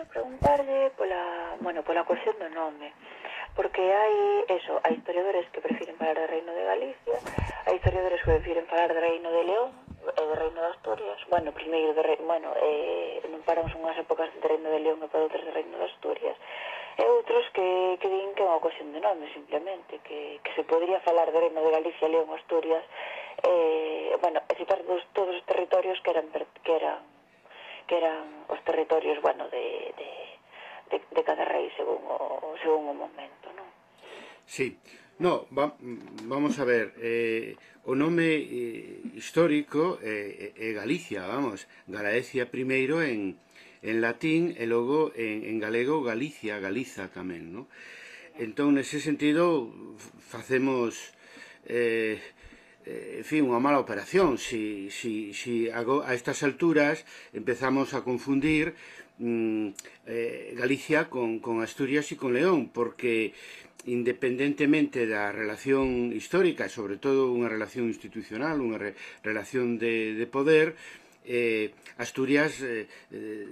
preguntarlle pola cuestión do nome, porque hai historiadores que prefiren falar de Reino de Galicia, hai historiadores que prefiren falar de Reino de León e de Reino de Asturias. Primeiro non paramos unhas épocas de Reino de León e para outras de Reino de Asturias. E outros que din que é unha cuestión de nome, simplemente, que se podría falar de Reino de Galicia, León, Asturias, e citar todos os territorios que eran os territorios, de cada rei según o momento, non? Sí. No, vamos a ver, o nome histórico é Galicia, Galaecia primeiro en latín e logo en galego Galicia, Galiza tamén, non? Entón, nese sentido, facemos, en fin, unha mala operación si a estas alturas empezamos a confundir Galicia con Asturias e con León, porque independentemente da relación histórica, e sobre todo unha relación institucional, unha relación de poder, Asturias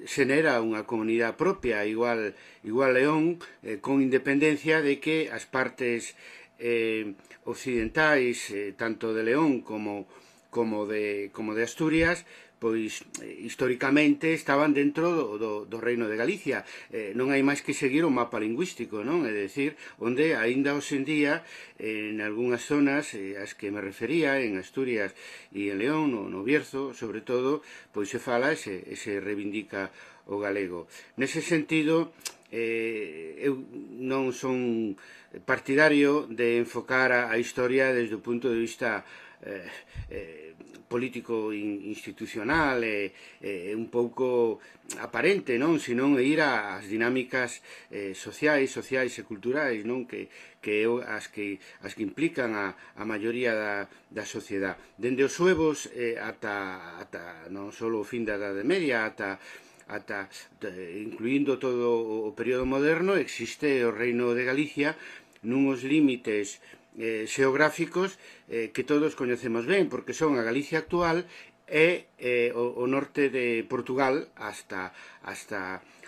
xenera unha comunidade propia, igual León, con independencia de que as partes occidentais, tanto de León como de Asturias, pois históricamente estaban dentro do Reino de Galicia. Non hai máis que seguir o mapa lingüístico, non? É dicir, onde aínda hoxe en día, en algunhas zonas, as que me refería, en Asturias e en León, no Bierzo, sobre todo, pois se fala e se reivindica o galego. Nese sentido, eu non son partidario de enfocar a historia desde o punto de vista político institucional un pouco aparente, non? Senón ir ás dinámicas sociais e culturais, non? Que as que implican a maioría da sociedade. Dende os suevos ata non só o fin da Idade Media, ata incluindo todo o período moderno, existe o Reino de Galicia nuns límites xeográficos que todos coñecemos ben, porque son a Galicia actual e o norte de Portugal hasta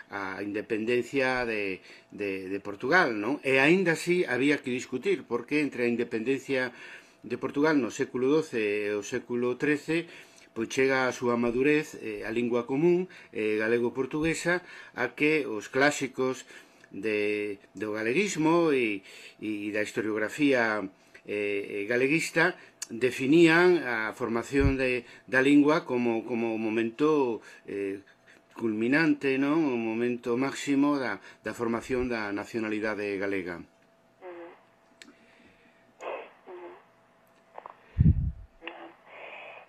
a independencia de Portugal, non? E aínda así había que discutir, porque entre a independencia de Portugal no século XII e o século XIII pois chega a súa madurez a lingua común galego-portuguesa, a que os clásicos do galeguismo e da historiografía galeguista definían a formación da lingua como o momento culminante, non? O momento máximo da formación da nacionalidade galega.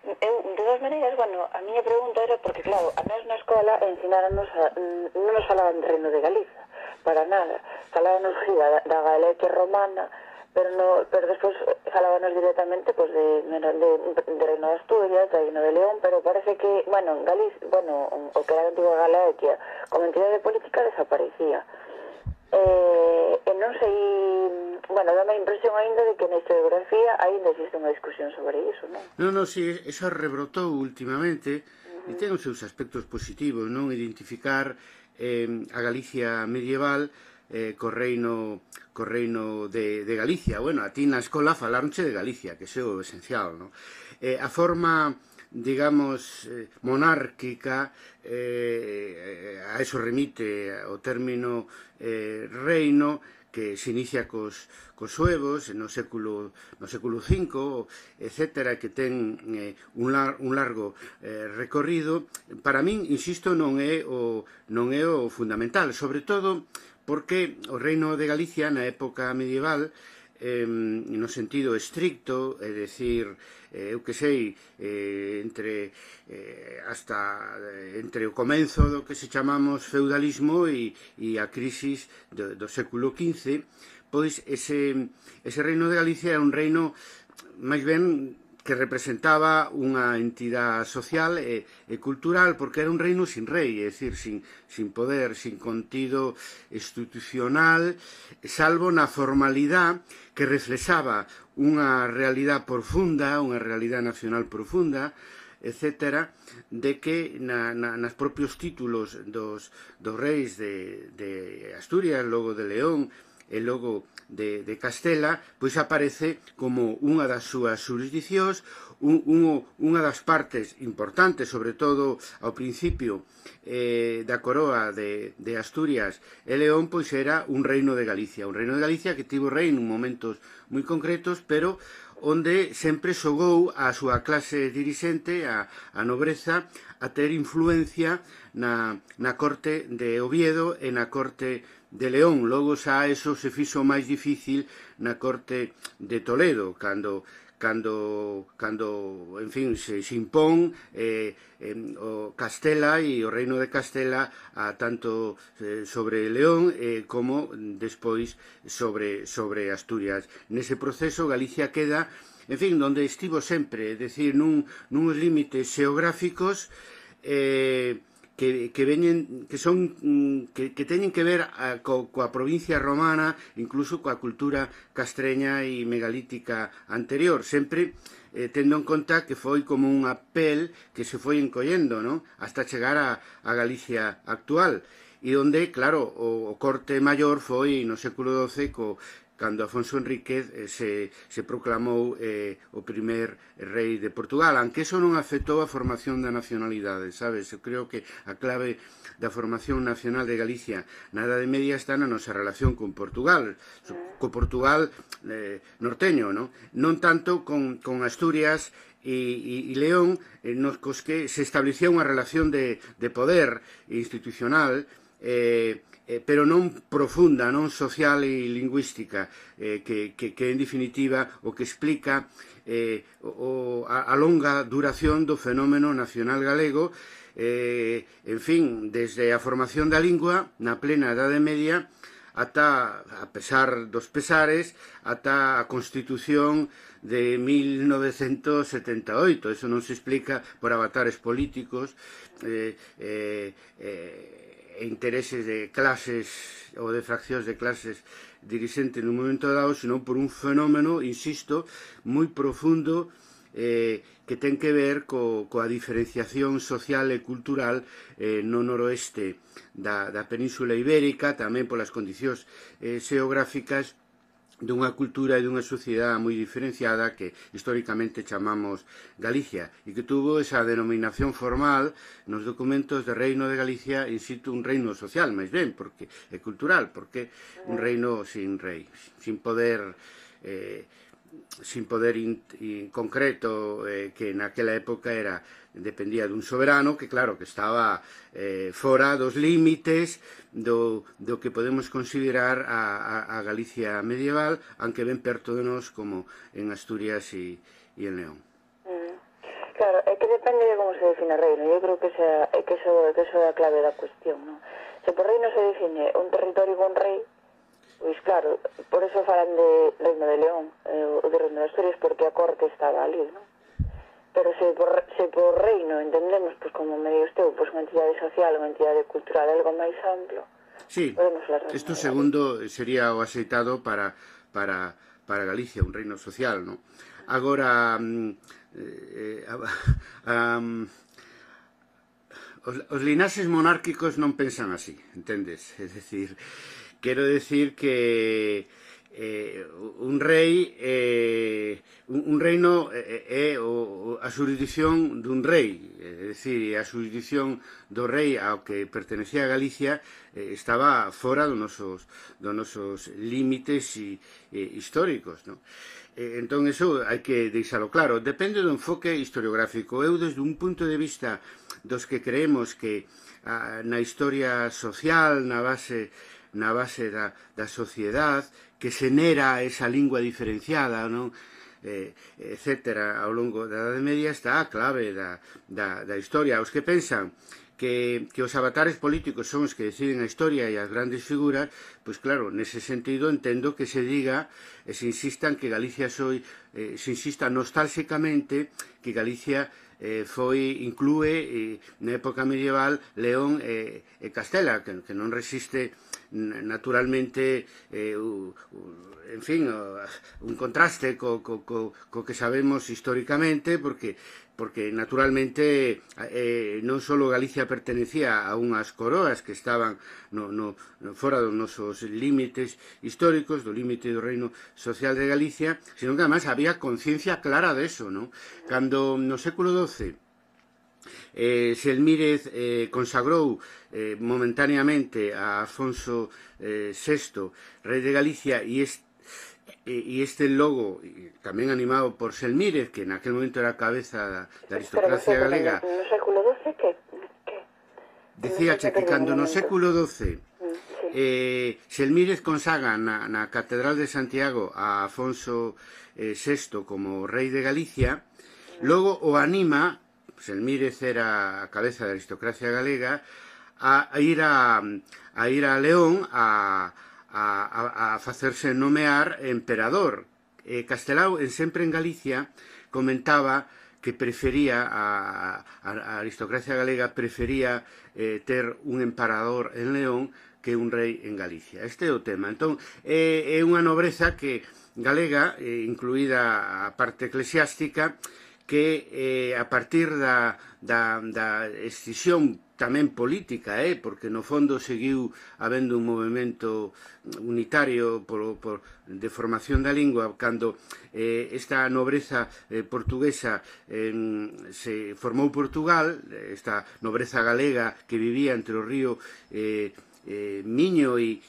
De todas maneiras, a miña pregunta era porque, claro, a nós na escola ensinarános non nos falaban de Reino de Galiza, para nada. Falábanos da Galicia romana, pero despois falábanos directamente de Reino de Asturias, de Reino de León, pero parece que, en Galicia, o que era a antiga Galicia, como entidade política desaparecía. E non sei, dame a impresión aínda de que na historiografía aínda existe unha discusión sobre iso, non? Non, si, eso rebrotou últimamente e ten os seus aspectos positivos, non? Identificar a Galicia medieval co reino de Galicia. A ti na escola falaronche de Galicia, que é o esencial, non? A forma, digamos, monárquica, a eso remite o término reino, que se inicia cos suevos no século V, etcétera, que ten un largo recorrido. Para min, insisto, non é o fundamental, sobre todo porque o Reino de Galicia na época medieval, no sentido estricto, é dicir, eu que sei, entre o comenzo do que se chamamos feudalismo e a crisis do século XV, pois ese Reino de Galicia era un reino máis ben que representaba unha entidade social e cultural, porque era un reino sin rei, é dicir, sin poder, sin contido institucional, salvo na formalidade que reflexaba unha realidade profunda, unha realidade nacional profunda, etcétera, de que nas propios títulos dos reis de Asturias, logo de León e logo de Castela, pois aparece como unha das súas xurisdicións, unha das partes importantes, sobre todo ao principio da coroa de Asturias e León, pois era un reino de Galicia, que tivo rei en momentos moi concretos, pero onde sempre xogou a súa clase dirixente, a nobreza, a ter influencia na corte de Oviedo e na corte de León. Logo xa eso se fixo máis difícil na corte de Toledo, cando en fin, se impón o Castela e o reino de Castela a tanto sobre León como despois sobre Asturias. Nese proceso Galicia queda, en fin, donde estivo sempre, é dicir, nuns límites xeográficos que teñen que ver coa provincia romana, incluso coa cultura castreña e megalítica anterior, sempre tendo en conta que foi como unha pel que se foi encollendo, ¿no?, hasta chegar a Galicia actual, e onde, claro, o corte maior foi no século XII cando Afonso Enríquez se proclamou o primer rei de Portugal, aunque eso non afectou a formación da nacionalidade, sabes? Eu creo que a clave da formación nacional de Galicia na Edade Media está na nosa relación con Portugal, co Portugal norteño, non tanto con Asturias e León, nos cos que se establecía unha relación de poder institucional, pero non profunda, non social e lingüística, que en definitiva o que explica a longa duración do fenómeno nacional galego, en fin, desde a formación da lingua na plena Edade Media ata, a pesar dos pesares, ata a Constitución de 1978. Eso non se explica por avatares políticos, intereses de clases ou de fraccións de clases dirixentes nun momento dado, senón por un fenómeno, insisto, moi profundo, que ten que ver coa diferenciación social e cultural no noroeste da Península Ibérica, tamén polas condicións xeográficas dunha cultura e dunha sociedade moi diferenciada que históricamente chamamos Galicia e que tuvo esa denominación formal nos documentos de Reino de Galicia, insisto, un reino social, máis ben, porque é cultural, porque un reino sin rei, sin poder concreto, que naquela época dependía dun soberano que, claro, que estaba fora dos límites do que podemos considerar a Galicia medieval, aunque ben perto de nós, como en Asturias e en León. Claro, é que depende de como se define reino. Eu creo que eso é a clave da cuestión, non? Se por reino se define un territorio con rei, pois claro, por eso falan de Reino de León, o de Reino de Asturias, porque a corte estaba ali, non? Pero se por reino entendemos, pois como me digo usted, pois unha entidade social, unha entidade cultural, algo máis amplo, sí, podemos falar de isto segundo sería o aceitado para Galicia, un reino social, non? Agora, os linaxes monárquicos non pensan así, entendes? É dicir, quero decir que un rei un reino é a xurisdición dun rei, é dicir, a xurisdición do rei ao que pertenecía a Galicia estaba fora dos nosos límites históricos, non? Entón, eso hai que deixalo claro. Depende do enfoque historiográfico. Eu, desde un punto de vista dos que creemos que na historia social, na base da sociedade, que xenera esa lingua diferenciada, non? Etcétera, ao longo da Edade Media está a clave da historia. Os que pensan que os avatares políticos son os que deciden a historia e as grandes figuras, pois claro, nese sentido entendo que se diga e se insista en que Galicia se insista nostálxicamente que Galicia inclúe na época medieval León e Castela, que non resiste naturalmente en fin, un contraste co que sabemos históricamente, porque porque naturalmente non só Galicia pertenecía a unhas coroas que estaban fora dos nosos límites históricos, do límite do reino social de Galicia, sino que además había conciencia clara de eso, ¿no? Cando no século XII Selmírez consagrou momentáneamente a Afonso VI, rei de Galicia, e este logo, tamén animado por Selmírez, que naquel momento era a cabeza da aristocracia galega. No século XII, que? Dicíache que cando no século XII Selmírez consagra na Catedral de Santiago a Afonso VI como rei de Galicia, logo o anima, Selmírez era a cabeza da aristocracia galega, a ir a León a facerse nomear emperador. Castelao, sempre en Galicia, comentaba que prefería, a aristocracia galega prefería ter un emperador en León que un rei en Galicia. Este é o tema. Entón, é unha nobreza que galega, incluída a parte eclesiástica, que a partir da escisión tamén política, porque no fondo seguiu habendo un movimento unitario de formación da lingua, cando esta nobreza portuguesa se formou Portugal, esta nobreza galega que vivía entre o río Miño e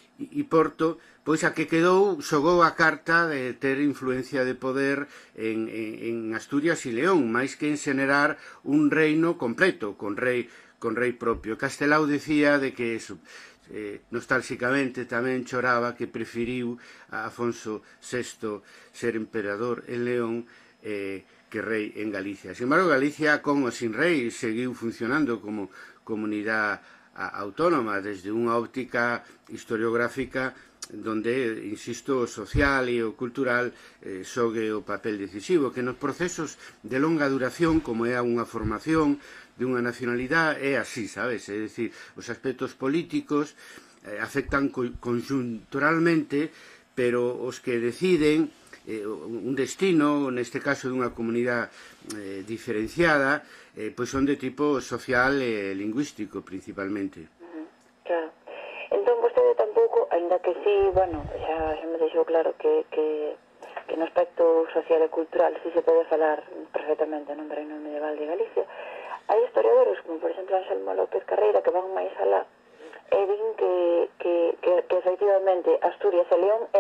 Porto, pois a que quedou xogou a carta de ter influencia de poder en Asturias e León, máis que en xenerar un reino completo, con rei propio. Castelao decía de que nostálxicamente tamén choraba que preferiu a Afonso VI ser emperador en León que rei en Galicia. Sin embargo, Galicia, con ou sin rei, seguiu funcionando como comunidade autónoma desde unha óptica historiográfica donde, insisto, o social e o cultural xogue o papel decisivo, que nos procesos de longa duración, como é unha formación de unha nacionalidade, é así, sabes? É dicir, os aspectos políticos afectan conjunturalmente, pero os que deciden un destino, neste caso dunha comunidade diferenciada, pois son de tipo social e lingüístico, principalmente. Claro. Entón, vostede tampouco, ainda que sí, bueno, xa me deixou claro que no aspecto social e cultural sí se pode falar perfectamente no reino medieval de Galicia, hai historiadores, como por exemplo Anselmo López Carreira, que van máis alá e din que efectivamente Asturias e León